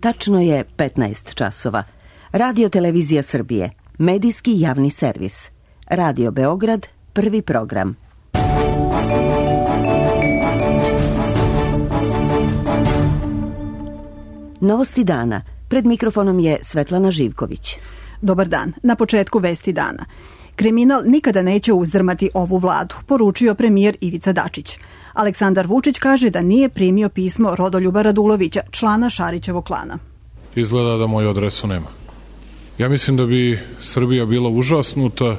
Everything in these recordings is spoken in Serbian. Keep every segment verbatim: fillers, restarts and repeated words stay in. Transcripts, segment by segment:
Tačno je petnaest časova. Radio Televizija Srbije, medijski javni servis. Radio Beograd, prvi program. Novosti dana. Pred mikrofonom je Svetlana Živković. Dobar dan. Na početku vesti dana. Kriminal nikada neće uzdrmati ovu vladu, poručio premijer Ivica Dačić. Aleksandar Vučić kaže da nije primio pismo Rodoljuba Radulovića, člana Šarićevog klana. Izgleda da moju adresu nema. Ja mislim da bi Srbija bila užasnuta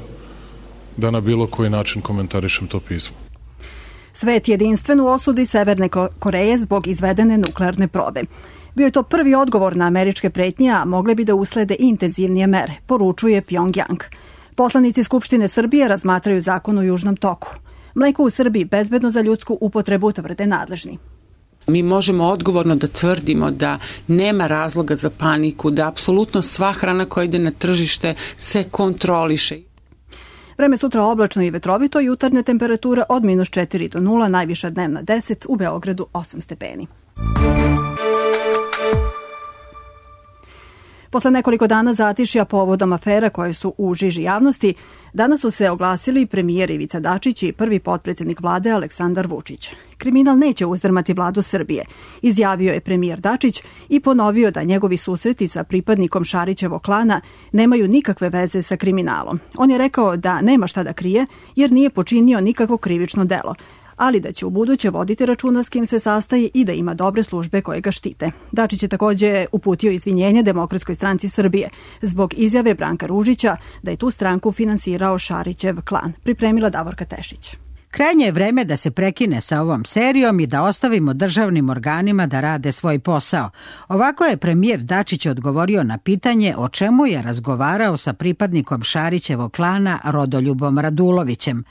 da na bilo koji način komentarišem to pismo. Svet jedinstven u osudi Severne Koreje zbog izvedene nuklearne probe. Bio je to prvi odgovor na američke pretnje, a mogle bi da uslede intenzivnije mere, poručuje Pjongjang. Poslanici Skupštine Srbije razmatraju zakon o Južnom toku. Mleko u Srbiji bezbedno za ljudsku upotrebu, tvrde nadležni. Mi možemo odgovorno da tvrdimo da nema razloga za paniku, da apsolutno sva hrana koja ide na tržište se kontroliše. Vreme sutra oblačno i vetrovito, jutarnja temperatura od minus četiri do nula, najviša dnevna deset, u Beogradu osam stepeni. Posle nekoliko dana zatišja povodom afera koje su u žiži javnosti, danas su se oglasili premijer Ivica Dačić i prvi potpredsjednik vlade Aleksandar Vučić. Kriminal neće uzdrmati vladu Srbije, izjavio je premijer Dačić i ponovio da njegovi susreti sa pripadnikom Šarićevog klana nemaju nikakve veze sa kriminalom. On je rekao da nema šta da krije jer nije počinio nikakvo krivično delo, ali da će u buduće voditi računa s kim se sastaje i da ima dobre službe koje ga štite. Dačić je također uputio izvinjenje Demokratskoj stranci Srbije zbog izjave Branka Ružića da je tu stranku finansirao Šarićev klan. Pripremila Davorka Tešić. Krajnje je vreme da se prekine sa ovom serijom i da ostavimo državnim organima da rade svoj posao. Ovako je premijer Dačić odgovorio na pitanje o čemu je razgovarao sa pripadnikom Šarićevog klana Rodoljubom Radulovićem.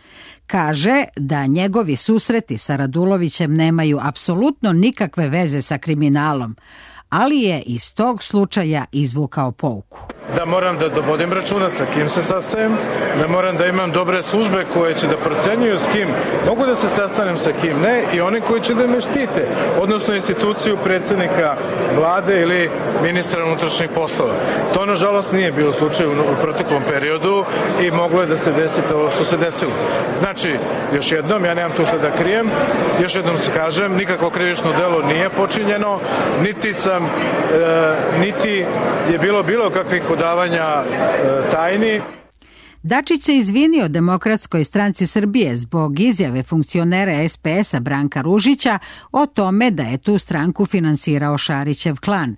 Kaže da njegovi susreti sa Radulovićem nemaju apsolutno nikakve veze sa kriminalom, ali je iz tog slučaja izvukao pouku. Da moram da vodim računa sa kim se sastajem, da moram da imam dobre službe koje će da procenjuju s kim mogu da se sastanem, sa kim ne, i one koji će da me štite, odnosno instituciju predsjednika vlade ili ministra unutrašnjih poslova. To nažalost nije bilo slučaj u proteklom periodu i moglo je da se desi to što se desilo. Znači, još jednom, ja nemam tu što da krijem, još jednom se kažem, nikakvo krivično delo nije počinjeno, niti sam, e, niti je bilo bilo kakvih odavanja e, tajni. Dačić se izvinio Demokratskoj stranci Srbije zbog izjave funkcionera es pe es a Branka Ružića o tome da je tu stranku finansirao Šarićev klan.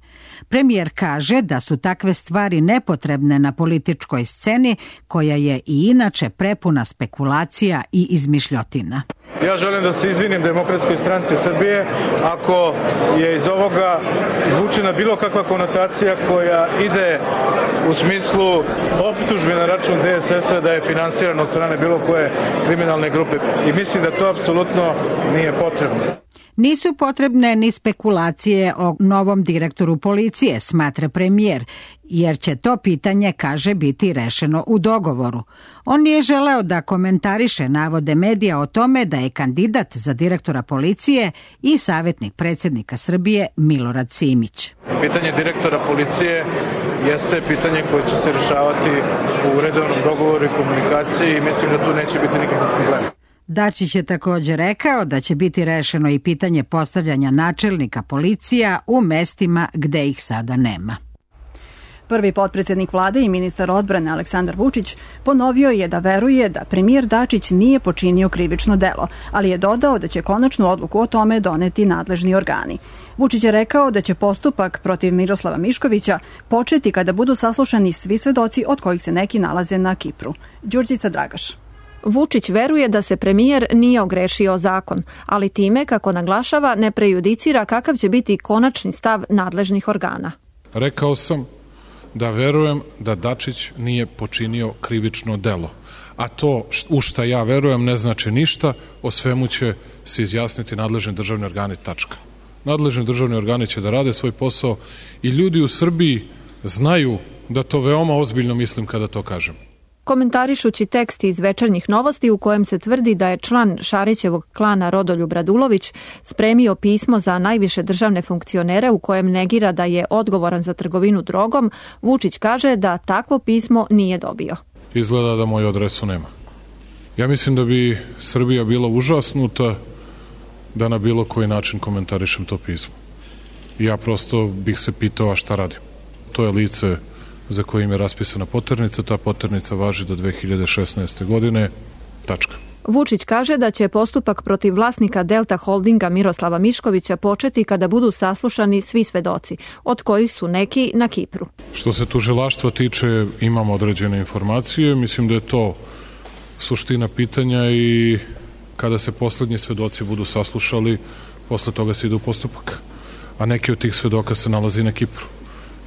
Premijer kaže da su takve stvari nepotrebne na političkoj sceni koja je i inače prepuna spekulacija i izmišljotina. Ja želim da se izvinim Demokratskoj stranci Srbije ako je iz ovoga izvučena bilo kakva konotacija koja ide u smislu optužbe na račun de es es a da je finansiran od strane bilo koje kriminalne grupe. I mislim da to apsolutno nije potrebno. Nisu potrebne ni spekulacije o novom direktoru policije, smatra premijer, jer će to pitanje, kaže, biti rešeno u dogovoru. On nije želeo da komentariše navode medija o tome da je kandidat za direktora policije i savjetnik predsjednika Srbije Milorad Simić. Pitanje direktora policije jeste pitanje koje će se rešavati u redovnom dogovoru i komunikaciji i mislim da tu neće biti nikakvih problema. Dačić je također rekao da će biti rešeno i pitanje postavljanja načelnika policija u mestima gde ih sada nema. Prvi potpredsjednik vlade i ministar odbrane Aleksandar Vučić ponovio je da veruje da premijer Dačić nije počinio krivično delo, ali je dodao da će konačnu odluku o tome doneti nadležni organi. Vučić je rekao da će postupak protiv Miroslava Miškovića početi kada budu saslušani svi svedoci od kojih se neki nalaze na Kipru. Đurđica Dragaš. Vučić veruje da se premijer nije ogrešio o zakon, ali time, kako naglašava, ne prejudicira kakav će biti konačni stav nadležnih organa. Rekao sam da verujem da Dačić nije počinio krivično delo, a to u šta ja verujem ne znači ništa, o svemu će se izjasniti nadležni državni organi, tačka. Nadležni državni organi će da rade svoj posao i ljudi u Srbiji znaju da to veoma ozbiljno mislim kada to kažem. Komentarišući tekst iz Večernjih novosti u kojem se tvrdi da je član Šarićevog klana Rodoljub Radulović spremio pismo za najviše državne funkcionere u kojem negira da je odgovoran za trgovinu drogom, Vučić kaže da takvo pismo nije dobio. Izgleda da moju adresu nema. Ja mislim da bi Srbija bila užasnuta da na bilo koji način komentarišem to pismo. Ja prosto bih se pitao, a šta radim? To je lice za kojim je raspisana poternica, ta poternica važi do dve hiljade šesnaeste. godine, tačka. Vučić kaže da će postupak protiv vlasnika Delta Holdinga Miroslava Miškovića početi kada budu saslušani svi svedoci, od kojih su neki na Kipru. Što se tužilaštva tiče, imamo određene informacije, mislim da je to suština pitanja i kada se poslednji svedoci budu saslušali, posle toga se ide u postupak. A neki od tih svedoka se nalazi na Kipru.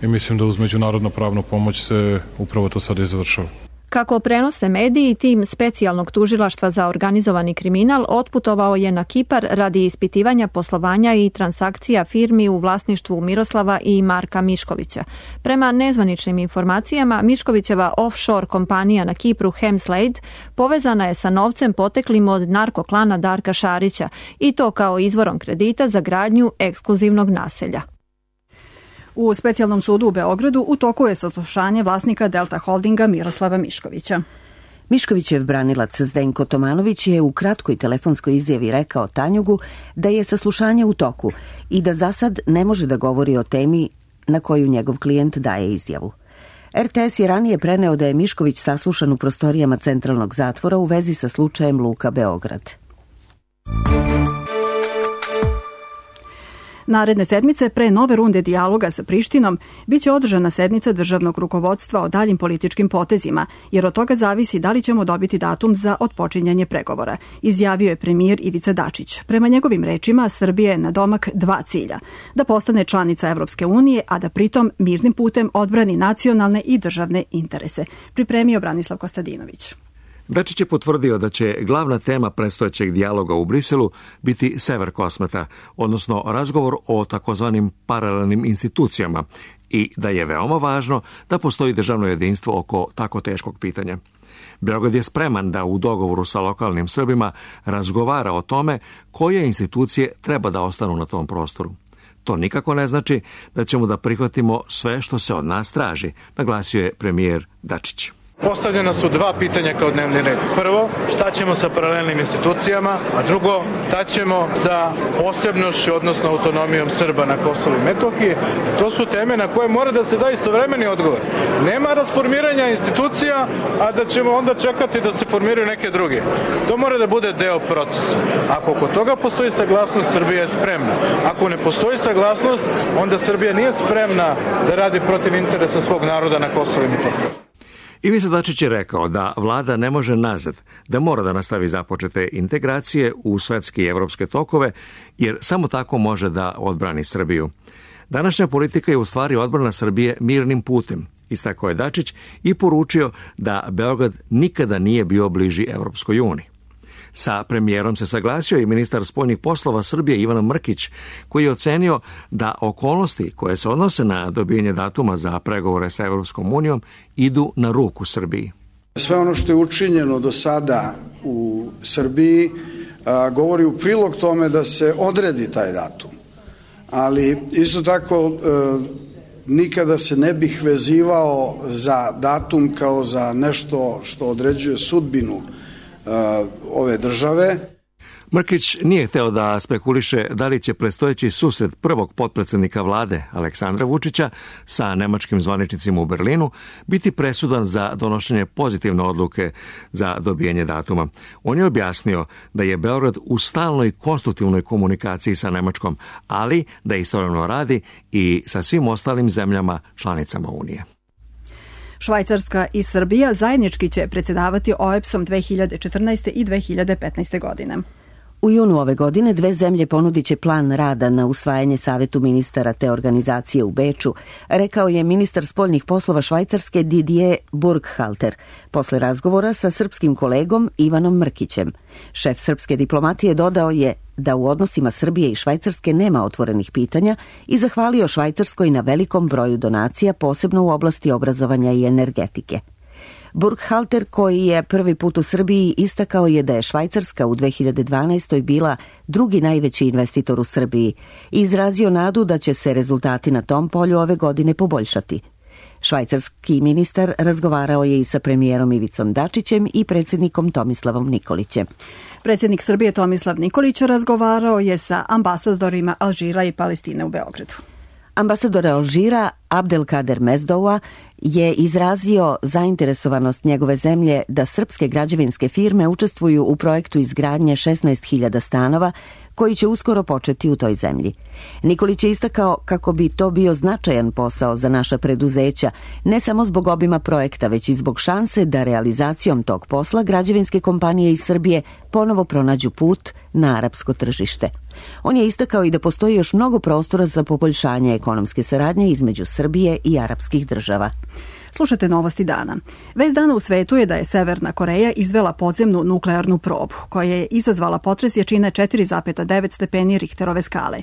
I mislim da uz međunarodnu pravnu pomoć se upravo to sada i završava. Kako prenose mediji, tim specijalnog tužilaštva za organizovani kriminal otputovao je na Kipar radi ispitivanja poslovanja i transakcija firmi u vlasništvu Miroslava i Marka Miškovića. Prema nezvaničnim informacijama, Miškovićeva offshore kompanija na Kipru Hemslade povezana je sa novcem poteklim od narkoklana Darka Šarića i to kao izvorom kredita za gradnju ekskluzivnog naselja. U specijalnom sudu u Beogradu u toku je saslušanje vlasnika Delta Holdinga Miroslava Miškovića. Miškovićev branilac Zdenko Tomanović je u kratkoj telefonskoj izjavi rekao Tanjugu da je saslušanje u toku i da za sad ne može da govori o temi na koju njegov klijent daje izjavu. er te es je ranije preneo da je Mišković saslušan u prostorijama centralnog zatvora u vezi sa slučajem Luka Beograd. Naredne sedmice, pre nove runde dijaloga sa Prištinom, biće održana sednica državnog rukovodstva o daljim političkim potezima, jer od toga zavisi da li ćemo dobiti datum za otpočinjanje pregovora, izjavio je premijer Ivica Dačić. Prema njegovim rečima, Srbija je na domak dva cilja, da postane članica Evropske unije, a da pritom mirnim putem odbrani nacionalne i državne interese, pripremio Branislav Kostadinović. Dačić je potvrdio da će glavna tema predstojećeg dijaloga u Briselu biti Sever Kosmeta, odnosno razgovor o takozvanim paralelnim institucijama i da je veoma važno da postoji državno jedinstvo oko tako teškog pitanja. Beograd je spreman da u dogovoru sa lokalnim Srbima razgovara o tome koje institucije treba da ostanu na tom prostoru. To nikako ne znači da ćemo da prihvatimo sve što se od nas traži, naglasio je premijer Dačić. Postavljena su dva pitanja kao dnevni red. Prvo, šta ćemo sa paralelnim institucijama, a drugo, šta ćemo sa posebnošću, odnosno autonomijom Srba na Kosovu i Metohiji. To su teme na koje mora da se da istovremeni odgovor. Nema rasformiranja institucija, a da ćemo onda čekati da se formiraju neke druge. To mora da bude deo procesa. Ako oko toga postoji saglasnost, Srbija je spremna. Ako ne postoji saglasnost, onda Srbija nije spremna da radi protiv interesa svog naroda na Kosovu i Metohiji. Ivica Dačić je rekao da vlada ne može nazad, da mora da nastavi započete integracije u svetske i evropske tokove, jer samo tako može da odbrani Srbiju. Današnja politika je u stvari odbrana Srbije mirnim putem, istakao je Dačić i poručio da Beograd nikada nije bio bliži Evropskoj uniji. Sa premijerom se saglasio i ministar spoljnih poslova Srbije Ivan Mrkić, koji je ocenio da okolnosti koje se odnose na dobijanje datuma za pregovore sa Evropskom unijom idu na ruku Srbiji. Sve ono što je učinjeno do sada u Srbiji a, govori u prilog tome da se odredi taj datum. Ali isto tako a, nikada se ne bih vezivao za datum kao za nešto što određuje sudbinu ove države. Mrkić nije hteo da spekuliše da li će predstojeći susret prvog potpredsednika vlade Aleksandra Vučića sa nemačkim zvaničnicima u Berlinu biti presudan za donošenje pozitivne odluke za dobijanje datuma. On je objasnio da je Beograd u stalnoj konstruktivnoj komunikaciji sa Nemačkom, ali da istovremeno radi i sa svim ostalim zemljama članicama Unije. Švajcarska i Srbija zajednički će predsjedavati o e pe es-om dve hiljade četrnaeste. i dve hiljade petnaeste. godine. U junu ove godine dve zemlje ponudit će plan rada na usvajanje Savetu ministara te organizacije u Beču, rekao je ministar spoljnih poslova Švajcarske Didier Burkhalter, posle razgovora sa srpskim kolegom Ivanom Mrkićem. Šef srpske diplomatije dodao je da u odnosima Srbije i Švajcarske nema otvorenih pitanja i zahvalio Švajcarskoj na velikom broju donacija, posebno u oblasti obrazovanja i energetike. Burkhalter, koji je prvi put u Srbiji, istakao je da je Švajcarska u dve hiljade dvanaestoj bila drugi najveći investitor u Srbiji i izrazio nadu da će se rezultati na tom polju ove godine poboljšati. Švajcarski ministar razgovarao je i sa premijerom Ivicom Dačićem i predsjednikom Tomislavom Nikolićem. Predsjednik Srbije Tomislav Nikolić razgovarao je sa ambasadorima Alžira i Palestine u Beogradu. Ambasador Alžira Abdelkader Mezdoua je izrazio zainteresovanost njegove zemlje da srpske građevinske firme učestvuju u projektu izgradnje šesnaest hiljada stanova koji će uskoro početi u toj zemlji. Nikolić je istakao kako bi to bio značajan posao za naša preduzeća, ne samo zbog obima projekta, već i zbog šanse da realizacijom tog posla građevinske kompanije iz Srbije ponovo pronađu put na arapsko tržište. On je istakao i da postoji još mnogo prostora za poboljšanje ekonomske saradnje između Srbije i arapskih država. Slušajte novosti dana. Vest dana u svetu je da je Severna Koreja izvela podzemnu nuklearnu probu, koja je izazvala potres jačine četiri zarez devet stepeni Richterove skale.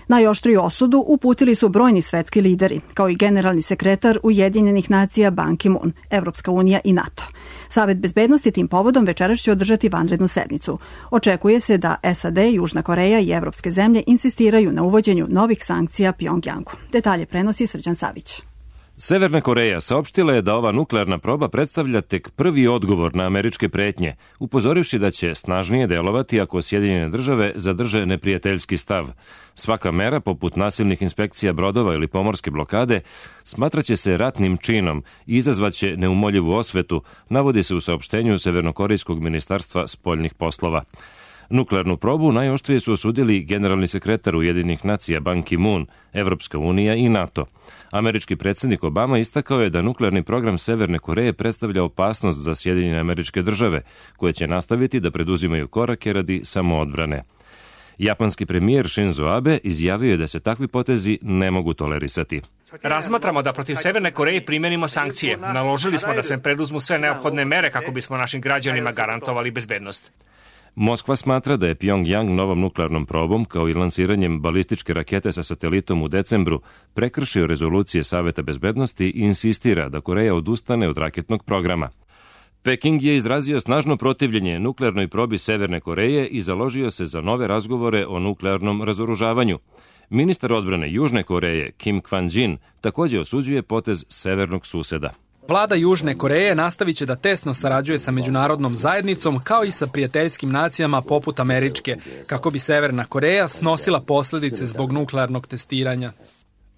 Najoštriju osudu uputili su brojni svetski lideri, kao i generalni sekretar Ujedinjenih nacija Ban Ki-moon, Evropska unija i NATO. Savet bezbednosti tim povodom večeras će održati vanrednu sednicu. Očekuje se da S A D, Južna Koreja i evropske zemlje insistiraju na uvođenju novih sankcija Pjongjangu. Detalje prenosi Srđan Savić. Severna Koreja saopštila je da ova nuklearna proba predstavlja tek prvi odgovor na američke pretnje, upozorivši da će snažnije delovati ako Sjedinjene države zadrže neprijateljski stav. Svaka mera, poput nasilnih inspekcija brodova ili pomorske blokade, smatraće se ratnim činom i izazvaće neumoljivu osvetu, navodi se u saopštenju Severnokorejskog ministarstva spoljnih poslova. Nuklearnu probu najoštrije su osudili generalni sekretar Ujedinjenih nacija Ban Ki-moon, Evropska unija i NATO. Američki predsjednik Obama istakao je da nuklearni program Severne Koreje predstavlja opasnost za Sjedinjene Američke Države, koje će nastaviti da preduzimaju korake radi samoodbrane. Japanski premijer Shinzo Abe izjavio je da se takvi potezi ne mogu tolerisati. Razmatramo da protiv Severne Koreje primenimo sankcije. Naložili smo da se preduzmu sve neophodne mere kako bismo našim građanima garantovali bezbednost. Moskva smatra da je Pjongjang novom nuklearnom probom, kao i lansiranjem balističke rakete sa satelitom u decembru, prekršio rezolucije Saveta bezbednosti i insistira da Koreja odustane od raketnog programa. Peking je izrazio snažno protivljenje nuklearnoj probi Severne Koreje i založio se za nove razgovore o nuklearnom razoružavanju. Ministar odbrane Južne Koreje Kim Kwan-jin također osuđuje potez severnog suseda. Vlada Južne Koreje nastavit će da tesno sarađuje sa međunarodnom zajednicom kao i sa prijateljskim nacijama poput američke, kako bi Severna Koreja snosila posljedice zbog nuklearnog testiranja.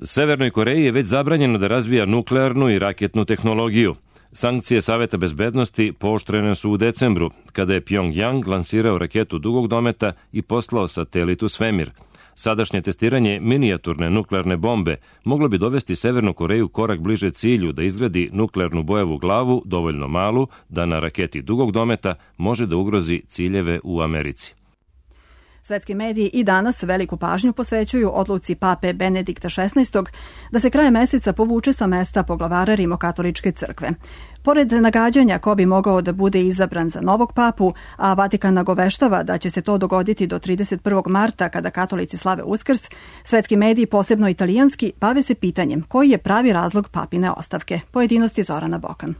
Severnoj Koreji je već zabranjeno da razvija nuklearnu i raketnu tehnologiju. Sankcije Saveta bezbednosti pooštrene su u decembru, kada je Pjongjang lansirao raketu dugog dometa i poslao satelit u svemir. Sadašnje testiranje minijaturne nuklearne bombe moglo bi dovesti Severnu Koreju korak bliže cilju da izgradi nuklearnu bojevu glavu dovoljno malu da na raketi dugog dometa može da ugrozi ciljeve u Americi. Svetski mediji i danas veliku pažnju posvećuju odluci pape Benedikta šesnaestog da se krajem meseca povuče sa mesta poglavara Rimokatoličke crkve. Pored nagađanja ko bi mogao da bude izabran za novog papu, a Vatikan nagoveštava da će se to dogoditi do trideset prvog marta kada katolici slave Uskrs, svetski mediji, posebno italijanski, bave se pitanjem koji je pravi razlog papine ostavke. Pojedinosti Zorana Bokan.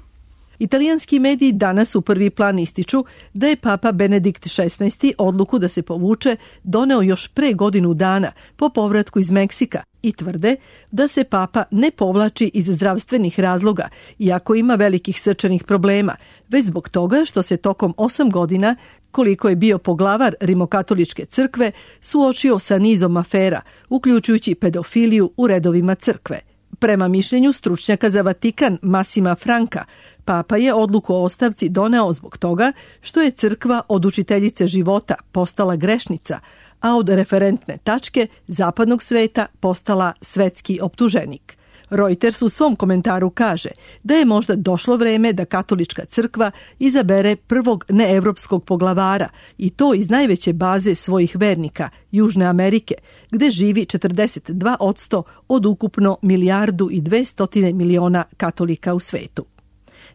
Italijanski mediji danas u prvi plan ističu da je papa Benedikt šesnaesti odluku da se povuče doneo još pre godinu dana po povratku iz Meksika i tvrde da se papa ne povlači iz zdravstvenih razloga, iako ima velikih srčanih problema, već zbog toga što se tokom osam godina, koliko je bio poglavar Rimokatoličke crkve, suočio sa nizom afera, uključujući pedofiliju u redovima crkve. Prema mišljenju stručnjaka za Vatikan Massima Franka, papa je odluku o ostavci doneo zbog toga što je crkva od učiteljice života postala grešnica, a od referentne tačke zapadnog sveta postala svetski optuženik. Reuters u svom komentaru kaže da je možda došlo vreme da katolička crkva izabere prvog neevropskog poglavara i to iz najveće baze svojih vernika, Južne Amerike, gde živi četrdeset dva posto od ukupno milijardu i dvestotine miliona katolika u svetu.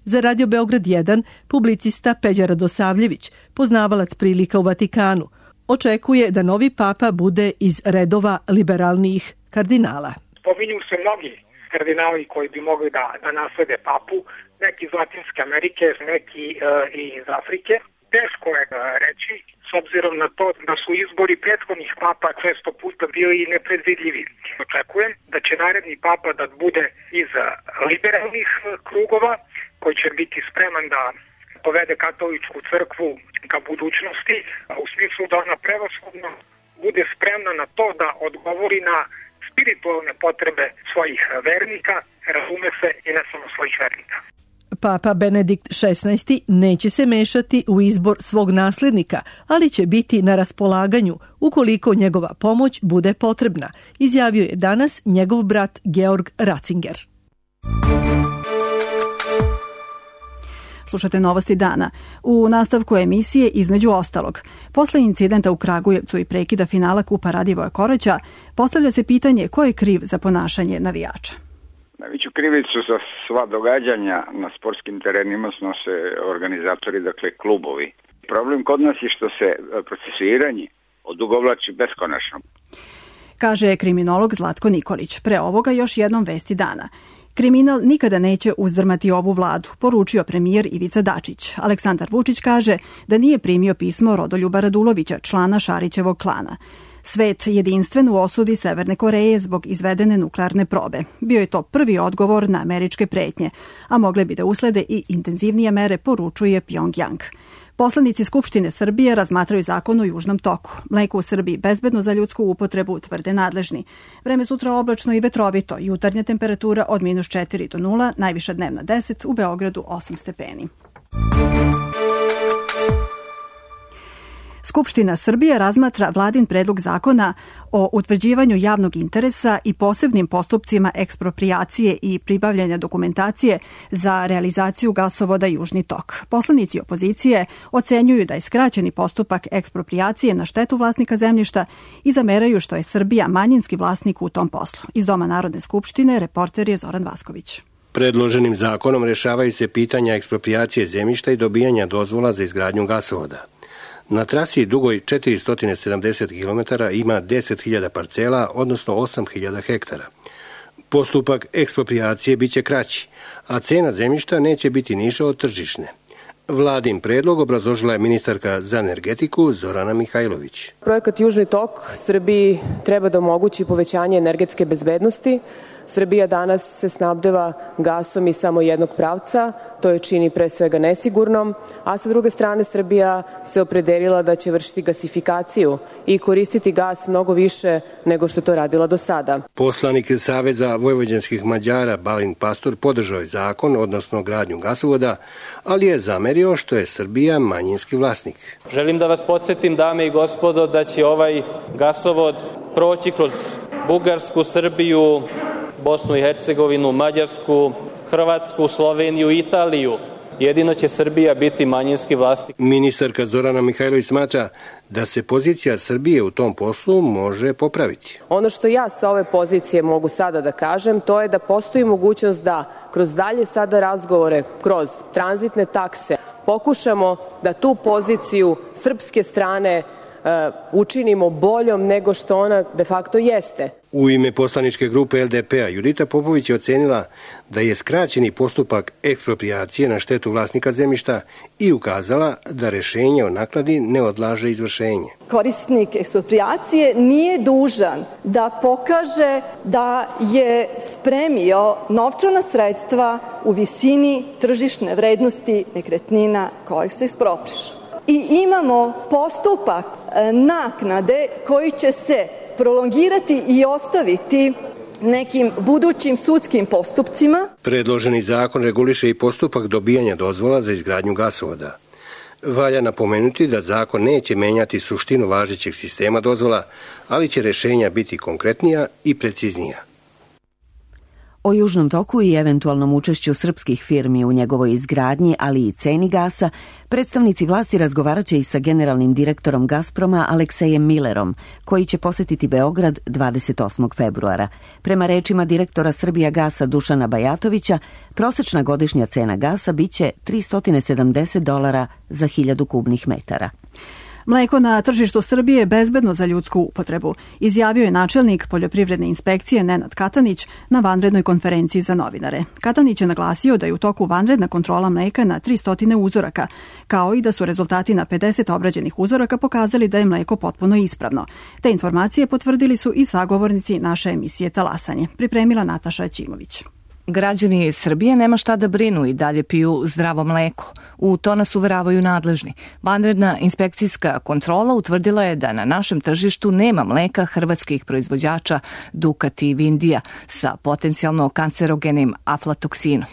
Za Radio Beograd jedan, publicista Peđa Radosavljević, poznavalac prilika u Vatikanu, očekuje da novi papa bude iz redova liberalnijih kardinala. Pominju se mnogi kardinali koji bi mogli da, da naslede papu, neki iz Latinske Amerike, neki e, iz Afrike. Teško je reći, s obzirom na to da su izbori prethodnih papa često puta bili nepredvidljivi. Očekujem da će naredni papa da bude iz liberalnih krugova, koji će biti spreman da povede katoličku crkvu ka budućnosti, u smislu da ona prevashodno bude spremna na to da odgovori na spiritualne potrebe svojih vernika, razume se i ne samo svojih vernika. Papa Benedikt šesnaesti neće se mešati u izbor svog naslednika, ali će biti na raspolaganju ukoliko njegova pomoć bude potrebna, izjavio je danas njegov brat Georg Ratzinger. Slušate Novosti dana. U nastavku emisije između ostalog, posle incidenta u Kragujevcu i prekida finala Kupa Radivoja Koroća, postavlja se pitanje ko je kriv za ponašanje navijača. Najveću krivicu za sva događanja na sportskim terenima snose organizatori, dakle klubovi. Problem kod nas je što se procesuiranje odugovlači beskonačno. Kaže kriminolog Zlatko Nikolić. Pre ovoga još jednom vesti dana. Kriminal nikada neće uzdrmati ovu vladu, poručio premijer Ivica Dačić. Aleksandar Vučić kaže da nije primio pismo Rodoljuba Radulovića, člana Šarićevog klana. Svet jedinstven u osudi Severne Koreje zbog izvedene nuklearne probe. Bio je to prvi odgovor na američke pretnje, a mogle bi da uslede i intenzivnije mere, poručuje Pjongjang. Poslanici Skupštine Srbije razmatraju zakon o Južnom toku. Mleko u Srbiji bezbedno za ljudsku upotrebu, tvrde nadležni. Vreme sutra oblačno i vetrovito, jutarnja temperatura od minus četiri do nula, najviša dnevna deset, u Beogradu osam stepeni. Skupština Srbije razmatra vladin predlog zakona o utvrđivanju javnog interesa i posebnim postupcima eksproprijacije i pribavljanja dokumentacije za realizaciju gasovoda Južni tok. Poslanici opozicije ocenjuju da je skraćeni postupak eksproprijacije na štetu vlasnika zemljišta i zameraju što je Srbija manjinski vlasnik u tom poslu. Iz Doma Narodne skupštine reporter je Zoran Vasković. Predloženim zakonom rešavaju se pitanja eksproprijacije zemljišta i dobijanja dozvola za izgradnju gasovoda. Na trasi dugoj četiristo sedamdeset kilometara ima deset hiljada parcela, odnosno osam hiljada hektara. Postupak eksproprijacije biće kraći, a cena zemljišta neće biti niža od tržišne. Vladin predlog obrazložila je ministarka za energetiku Zorana Mihajlović. Projekat Južni tok Srbiji treba da omogući povećanje energetske bezbednosti. Srbija danas se snabdeva gasom iz samo jednog pravca, to je čini pre svega nesigurnom, a sa druge strane Srbija se opredelila da će vršiti gasifikaciju i koristiti gas mnogo više nego što to radila do sada. Poslanik Saveza vojvođanskih Mađara Balin Pastor podržao je zakon, odnosno gradnju gasovoda, ali je zamerio što je Srbija manjinski vlasnik. Želim da vas podsjetim, dame i gospodo, da će ovaj gasovod proći kroz Bugarsku, Srbiju, Bosnu i Hercegovinu, Mađarsku, Hrvatsku, Sloveniju i Italiju. Jedino će Srbija biti manjinski vlasnik. Ministarka Zorana Mihajlović smatra da se pozicija Srbije u tom poslu može popraviti. Ono što ja sa ove pozicije mogu sada da kažem, to je da postoji mogućnost da kroz dalje sada razgovore, kroz tranzitne takse, pokušamo da tu poziciju srpske strane učinimo boljom nego što ona de facto jeste. U ime poslaničke grupe L D P-a Judita Popović je ocenila da je skraćeni postupak eksproprijacije na štetu vlasnika zemljišta i ukazala da rešenje o naknadi ne odlaže izvršenje. Korisnik eksproprijacije nije dužan da pokaže da je spremio novčana sredstva u visini tržišne vrednosti nekretnina kojih se eksproprišu. I imamo postupak naknade koji će se prolongirati i ostaviti nekim budućim sudskim postupcima. Predloženi zakon reguliše i postupak dobijanja dozvola za izgradnju gasovoda. Valja napomenuti da zakon neće menjati suštinu važećeg sistema dozvola, ali će rešenja biti konkretnija i preciznija. O Južnom toku i eventualnom učešću srpskih firmi u njegovoj izgradnji, ali i ceni gasa, predstavnici vlasti razgovaraće i sa generalnim direktorom Gazproma Aleksejem Millerom, koji će posetiti Beograd dvadeset osmog februara. Prema rečima direktora Srbijagasa Dušana Bajatovića, prosečna godišnja cena gasa biće tristo sedamdeset dolara za hiljadu kubnih metara. Mleko na tržištu Srbije je bezbedno za ljudsku upotrebu, izjavio je načelnik poljoprivredne inspekcije Nenad Katanić na vanrednoj konferenciji za novinare. Katanić je naglasio da je u toku vanredna kontrola mleka na tristo uzoraka, kao i da su rezultati na pedeset obrađenih uzoraka pokazali da je mleko potpuno ispravno. Te informacije potvrdili su i sagovornici naše emisije Talasanje. Pripremila Nataša Ćimović. Građani Srbije nema šta da brinu i dalje piju zdravo mleko. U to nas uveravaju nadležni. Vanredna inspekcijska kontrola utvrdila je da na našem tržištu nema mleka hrvatskih proizvođača Dukat i Vindija sa potencijalno kancerogenim aflatoksinom.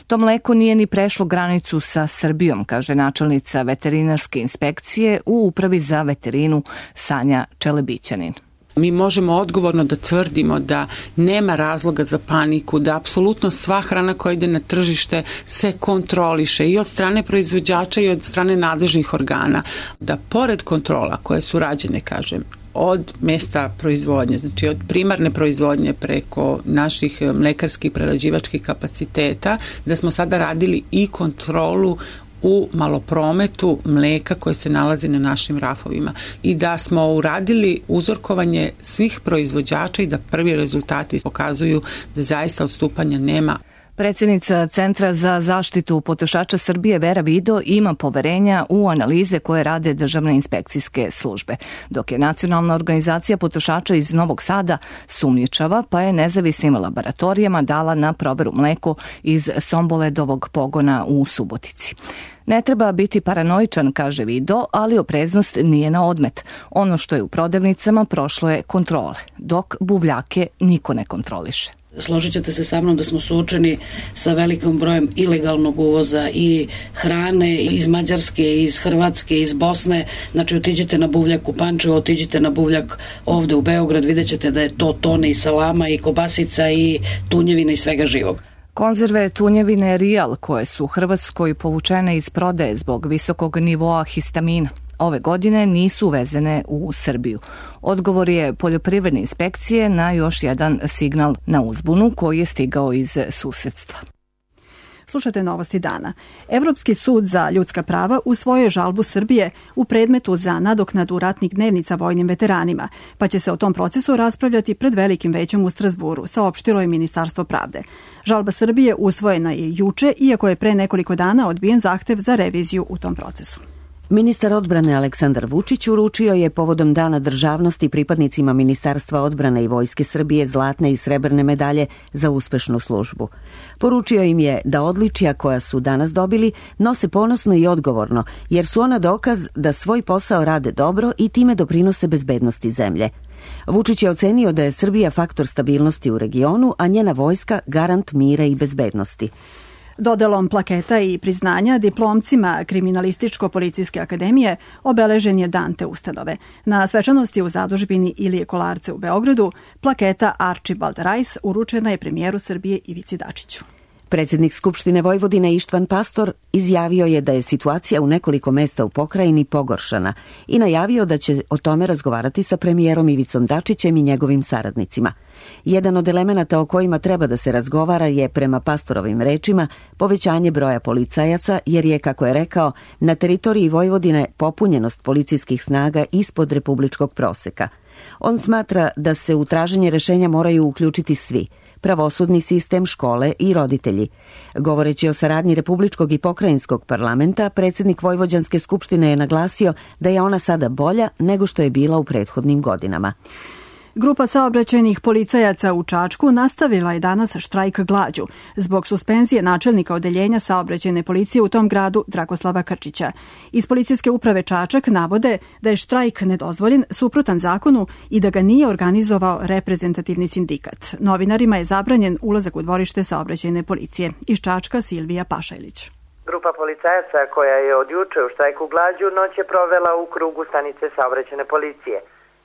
To mleko nije ni prešlo granicu sa Srbijom, kaže načelnica veterinarske inspekcije u Upravi za veterinu Sanja Čelebićanin. Mi možemo odgovorno da tvrdimo da nema razloga za paniku, da apsolutno sva hrana koja ide na tržište se kontroliše i od strane proizvođača i od strane nadležnih organa. Da pored kontrola koje su rađene, kažem, od mesta proizvodnje, znači od primarne proizvodnje preko naših mlekarskih prerađivačkih kapaciteta, da smo sada radili i kontrolu u maloprometu mleka koje se nalazi na našim rafovima i da smo uradili uzorkovanje svih proizvođača i da prvi rezultati pokazuju da zaista odstupanja nema. Predsjednica Centra za zaštitu potrošača Srbije Vera Vido ima poverenja u analize koje rade državne inspekcijske službe, dok je Nacionalna organizacija potrošača iz Novog Sada sumnjičava, pa je nezavisnim laboratorijama dala na proveru mleko iz Somboledovog pogona u Subotici. Ne treba biti paranoičan, kaže Vido, ali opreznost nije na odmet. Ono što je u prodavnicama prošlo je kontrole, dok buvljake niko ne kontroliše. Složit ćete se sa mnom da smo suočeni sa velikom brojem ilegalnog uvoza i hrane iz Mađarske, iz Hrvatske, iz Bosne. Znači, otiđite na buvljak u Pančevo, otiđite na buvljak ovde u Beograd, vidjet ćete da je to tone i salama i kobasica i tunjevina i svega živog. Konzerve tunjevine Real, koje su u Hrvatskoj povučene iz prodaje zbog visokog nivoa histamina, ove godine nisu uvezene u Srbiju. Odgovor je poljoprivredne inspekcije na još jedan signal na uzbunu koji je stigao iz susedstva. Slušajte novosti dana. Evropski sud za ljudska prava usvojio žalbu Srbije u predmetu za nadoknadu ratnih dnevnica vojnim veteranima, pa će se o tom procesu raspravljati pred Velikim većem u Strazburu, saopštilo je Ministarstvo pravde. Žalba Srbije usvojena je juče, iako je pre nekoliko dana odbijen zahtev za reviziju u tom procesu. Ministar odbrane Aleksandar Vučić uručio je povodom Dana državnosti pripadnicima Ministarstva odbrane i Vojske Srbije zlatne i srebrne medalje za uspešnu službu. Poručio im je da odličja koja su danas dobili nose ponosno i odgovorno, jer su ona dokaz da svoj posao rade dobro i time doprinose bezbednosti zemlje. Vučić je ocenio da je Srbija faktor stabilnosti u regionu, a njena vojska garant mira i bezbednosti. Dodelom plaketa i priznanja diplomcima Kriminalističko-policijske akademije obeležen je dan te ustanove. Na svečanosti u zadužbini Ilije Kolarce u Beogradu plaketa Archibald Rice uručena je premijeru Srbije Ivici Dačiću. Predsjednik Skupštine Vojvodine Ištvan Pastor izjavio je da je situacija u nekoliko mesta u pokrajini pogoršana i najavio da će o tome razgovarati sa premijerom Ivicom Dačićem i njegovim saradnicima. Jedan od elemenata o kojima treba da se razgovara je, prema Pastorovim rečima, povećanje broja policajaca, jer je, kako je rekao, na teritoriji Vojvodine popunjenost policijskih snaga ispod republičkog proseka. On smatra da se u traženje rešenja moraju uključiti svi, pravosudni sistem, škole i roditelji. Govoreći o saradnji Republičkog i Pokrajinskog parlamenta, predsjednik Vojvođanske skupštine je naglasio da je ona sada bolja nego što je bila u prethodnim godinama. Grupa saobraćajnih policajaca u Čačku nastavila je danas štrajk glađu zbog suspenzije načelnika odeljenja saobraćajne policije u tom gradu Dragoslava Krčića. Iz policijske uprave Čačak navode da je štrajk nedozvoljen, suprotan zakonu i da ga nije organizovao reprezentativni sindikat. Novinarima je zabranjen ulazak u dvorište saobraćajne policije. Iz Čačka Silvija Pašajlić. Grupa policajaca koja je od juče u štrajku glađu noć je provela u krugu stanice saobraćajne policije.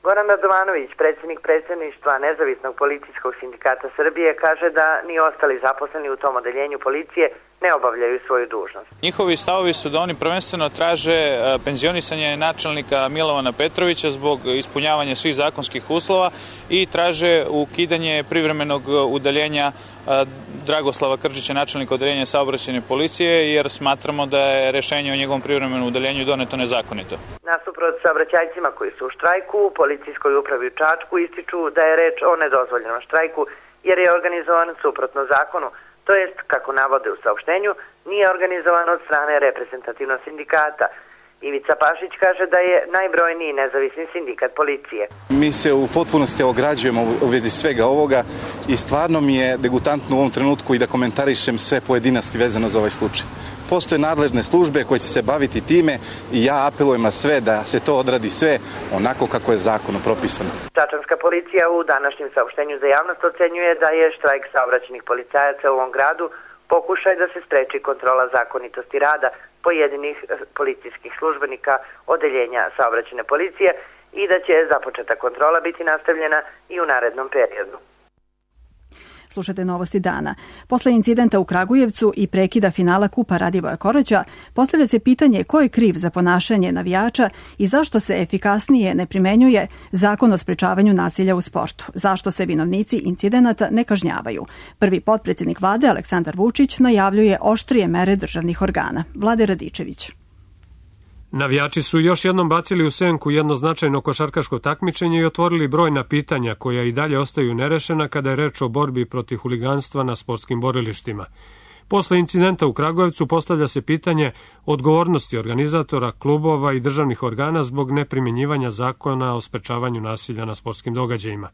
Goran Radovanović, predsjednik predsjedništva Nezavisnog policijskog sindikata Srbije, kaže da ni ostali zaposleni u tom odeljenju policije ne obavljaju svoju dužnost. Njihovi stavovi su da oni prvenstveno traže penzionisanje načelnika Milovana Petrovića zbog ispunjavanja svih zakonskih uslova i traže ukidanje privremenog udaljenja Dragoslava Krčića, načelnika odeljenja saobraćajne policije, jer smatramo da je rešenje o njegovom privremenom udaljenju doneto nezakonito. Nasuprot saobraćajcima koji su u štrajku, u policijskoj upravi u Čačku ističu da je reč o nedozvoljenom štrajku jer je organizovan suprotno zakonu, to jest, kako navode u saopštenju, nije organizovan od strane reprezentativnog sindikata. Ivica Pašić kaže da je najbrojniji nezavisni sindikat policije. Mi se u potpunosti ograđujemo u vezi svega ovoga i stvarno mi je degutantno u ovom trenutku i da komentarišem sve pojedinosti vezano za ovaj slučaj. Postoje nadležne službe koje će se baviti time i ja apelujem na sve da se to odradi sve onako kako je zakonom propisano. Čačanska policija u današnjem saopštenju za javnost ocenjuje da je štrajk saobraćajnih policajaca u ovom gradu pokušaj da se spreči kontrola zakonitosti rada pojedinih policijskih službenika odeljenja saobraćajne policije i da će započeta kontrola biti nastavljena i u narednom periodu. Slušajte novosti dana. Posle incidenta u Kragujevcu i prekida finala Kupa Radivoja Koraća, postavlja se pitanje ko je kriv za ponašanje navijača i zašto se efikasnije ne primenjuje Zakon o sprečavanju nasilja u sportu. Zašto se vinovnici incidenata ne kažnjavaju. Prvi potpredsjednik vlade Aleksandar Vučić najavljuje oštrije mere državnih organa. Vlade Radičević. Navijači su još jednom bacili u senku jedno značajno košarkaško takmičenje i otvorili brojna pitanja koja i dalje ostaju nerešena kada je reč o borbi protiv huliganstva na sportskim borilištima. Posle incidenta u Kragujevcu postavlja se pitanje odgovornosti organizatora, klubova i državnih organa zbog neprimjenjivanja zakona o sprečavanju nasilja na sportskim događajima.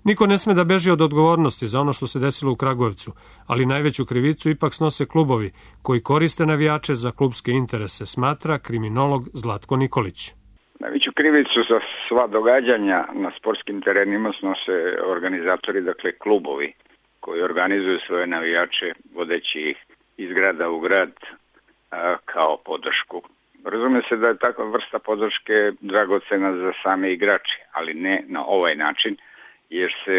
Niko ne sme da beži od odgovornosti za ono što se desilo u Kragujevcu, ali najveću krivicu ipak snose klubovi koji koriste navijače za klubske interese, smatra kriminolog Zlatko Nikolić. Najveću krivicu za sva događanja na sportskim terenima snose organizatori, dakle klubovi koji organizuju svoje navijače vodeći ih iz grada u grad a, kao podršku. Razume se da je takva vrsta podrške dragocena za same igrače, ali ne na ovaj način, jer se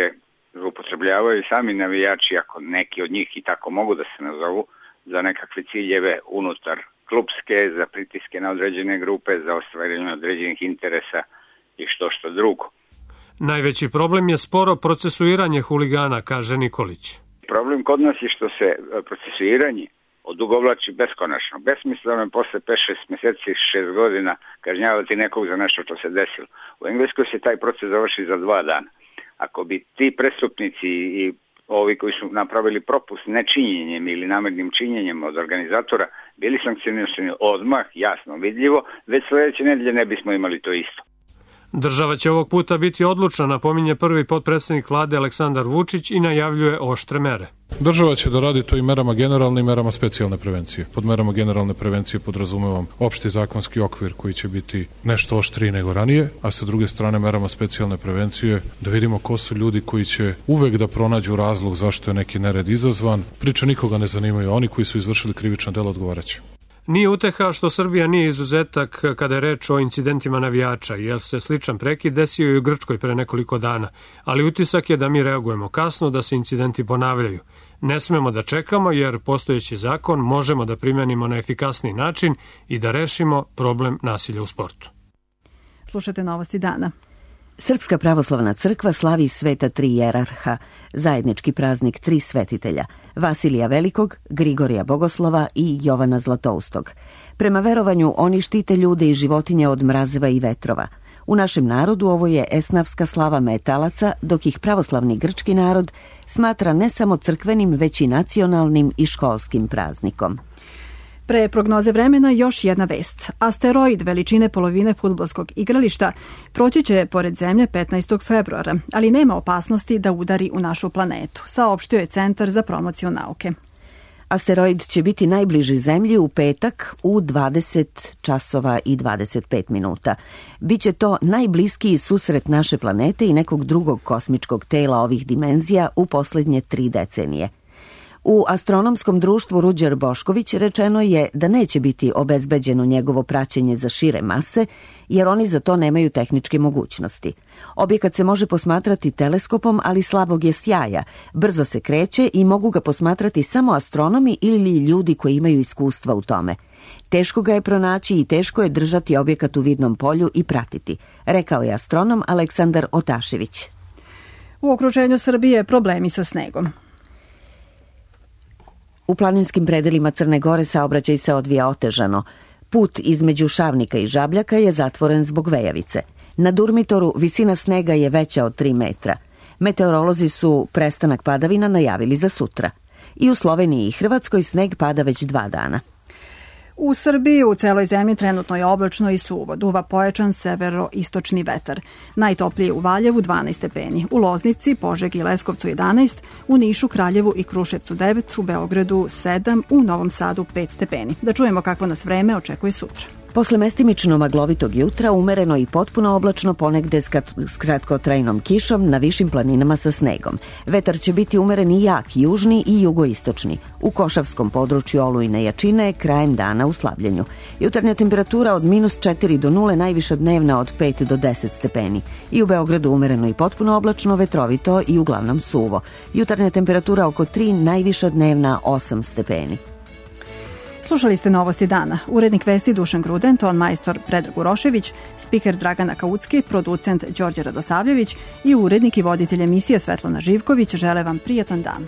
upotrebljavaju sami navijači, ako neki od njih i tako mogu da se nazovu, za nekakve ciljeve unutar klubske, za pritiske na određene grupe, za ostvarenje određenih interesa i što što drugo. Najveći problem je sporo procesuiranje huligana, kaže Nikolić. Problem kod nas je što se procesuiranje odugovlači beskonačno. Besmisleno je posle pet šest mjeseci, šest godina kažnjavati nekog za nešto što se desilo. U Engleskoj se taj proces završi za dva dana. Ako bi ti prestupnici i ovi koji su napravili propust nečinjenjem ili namernim činjenjem od organizatora bili sankcionirani odmah, jasno, vidljivo, već sljedeće nedelje ne bismo imali to isto. Država će ovog puta biti odlučna, napominje prvi potpredsjednik vlade Aleksandar Vučić i najavljuje oštre mere. Država će da radi to i merama generalne i merama specijalne prevencije. Pod merama generalne prevencije podrazumevam opšti zakonski okvir koji će biti nešto oštriji nego ranije, a sa druge strane merama specijalne prevencije da vidimo ko su ljudi koji će uvek da pronađu razlog zašto je neki nered izazvan. Priča nikoga ne zanimaju, oni koji su izvršili krivično delo odgovaraće. Nije uteha što Srbija nije izuzetak kada je reč o incidentima navijača, jer se sličan prekid desio i u Grčkoj pre nekoliko dana, ali utisak je da mi reagujemo kasno, da se incidenti ponavljaju. Ne smemo da čekamo jer postojeći zakon možemo da primenimo na efikasniji način i da rešimo problem nasilja u sportu. Slušajte novosti dana. Srpska pravoslavna crkva slavi sveta tri jerarha, zajednički praznik tri svetitelja, Vasilija Velikog, Grigorija Bogoslova i Jovana Zlatoustog. Prema verovanju oni štite ljude i životinje od mrazeva i vetrova. U našem narodu ovo je esnafska slava metalaca, dok ih pravoslavni grčki narod smatra ne samo crkvenim, već i nacionalnim i školskim praznikom. Pre prognoze vremena još jedna vest. Asteroid veličine polovine fudbalskog igrališta proći će pored Zemlje petnaestog februara, ali nema opasnosti da udari u našu planetu, saopštio je Centar za promociju nauke. Asteroid će biti najbliži Zemlji u petak u dvadeset časova i dvadeset pet minuta. Biće to najbliskiji susret naše planete i nekog drugog kosmičkog tela ovih dimenzija u posljednje tri decenije. U astronomskom društvu Ruđer Bošković rečeno je da neće biti obezbeđeno njegovo praćenje za šire mase, jer oni za to nemaju tehničke mogućnosti. Objekat se može posmatrati teleskopom, ali slabog je sjaja, brzo se kreće i mogu ga posmatrati samo astronomi ili ljudi koji imaju iskustva u tome. Teško ga je pronaći i teško je držati objekat u vidnom polju i pratiti, rekao je astronom Aleksandar Otašević. U okruženju Srbije problemi sa snegom. U planinskim predelima Crne Gore saobraćaj se odvija otežano. Put između Šavnika i Žabljaka je zatvoren zbog vejavice. Na Durmitoru visina snega je veća od tri metra. Meteorolozi su prestanak padavina najavili za sutra. I u Sloveniji i Hrvatskoj sneg pada već dva dana. U Srbiji u celoj zemlji trenutno je oblačno i suvo, duva pojačan severo-istočni vetar. Najtoplije u Valjevu dvanaest stepeni, u Loznici, Požegi i Leskovcu jedanaest, u Nišu, Kraljevu i Kruševcu devet, u Beogradu sedam, u Novom Sadu pet stepeni. Da čujemo kakvo nas vreme očekuje sutra. Posle mestimično maglovitog jutra umereno i potpuno oblačno, ponegde s kratkotrajnom kišom, na višim planinama sa snegom. Vetar će biti umeren i jak, južni i jugoistočni. U Košavskom području olujne jačine krajem dana u slabljenju. Jutarnja temperatura od minus četiri do nule, najviša dnevna od pet do deset stepeni. I u Beogradu umereno i potpuno oblačno, vetrovito i uglavnom suvo. Jutarnja temperatura oko tri, najviša dnevna osam stepeni. Slušali ste Novosti dana. Urednik vesti Dušan Gruden, ton majstor Predrag Urošević, spiker Dragana Kaucki, producent Đorđe Radosavljević i urednik i voditelj emisije Svetlana Živković žele vam prijatan dan.